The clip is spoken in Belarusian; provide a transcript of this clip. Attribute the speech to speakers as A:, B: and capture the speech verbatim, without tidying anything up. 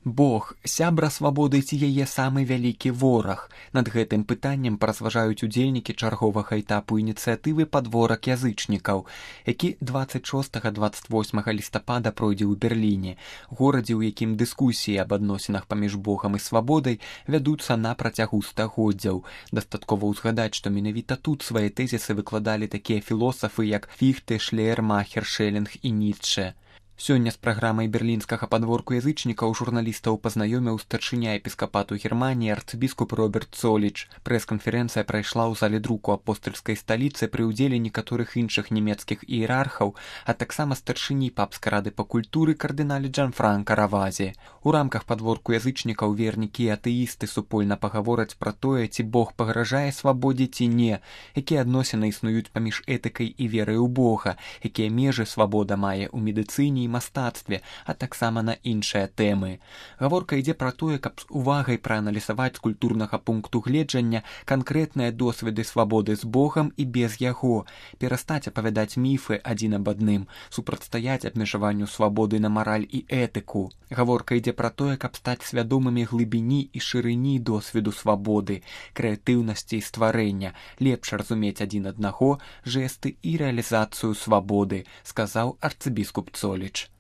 A: Бог, сябра свабоды ці яе самы вялікі вораг. Над гэтым пытаннем паразважаюць удзельнікі чарговага этапу ініцыятывы «Падворак язычнікаў», які дваццаць шостага - дваццаць восьмага лістапада пройдзе ў Берліне, горадзе, у якім дыскусіі аб адносінах паміж Богам і свабодай вядуцца на працягу стагоддзяў. Дастаткова ўзгадаць, што менавіта тут свае тэзісы выкладалі такія філосафы, як Фіхте, Шлеермахер, Шэлінг і Ніцшэ. Сёння з праграмай берлінскага падворку язычнікаў журналістаў пазнаёміў старшыня епіскапату Германіі арцыбіскуп Роберт Цоліч. Прэс-канферэнцыя прайшла ў зале друку апостальскай сталіцы пры ўдзеле некаторых іншых нямецкіх іерархаў, а таксама старшыні папскай рады па культуры кардыналі Джанфранка Равазі. У рамках падворку язычнікаў вернікі і атэісты супольна пагавораць пра тое, ці Бог пагражае свабодзе ці не, якія адносіны існуюць паміж этыкай і верай у Бога, якія межы свабода мае ў медыцыне і мастацтве, а таксама на іншыя тэмы. Гаворка ідзе пра тое, каб з увагай прааналізаваць з культурнага пункту гледжання канкрэтныя досведы свабоды з Богам і без яго, перастаць апавядаць міфы адзін аб адным, супрацьстаяць абмежаванню свабоды на мараль і этыку. Гаворка ідзе пра тое, каб стаць свядомымі глыбіні і шырыні досведу свабоды, крэатыўнасці і стварэння, лепш разумець адзін аднаго, жэсты і рэалізацыю свабоды, сказаў арцыбіскуп Цоліч.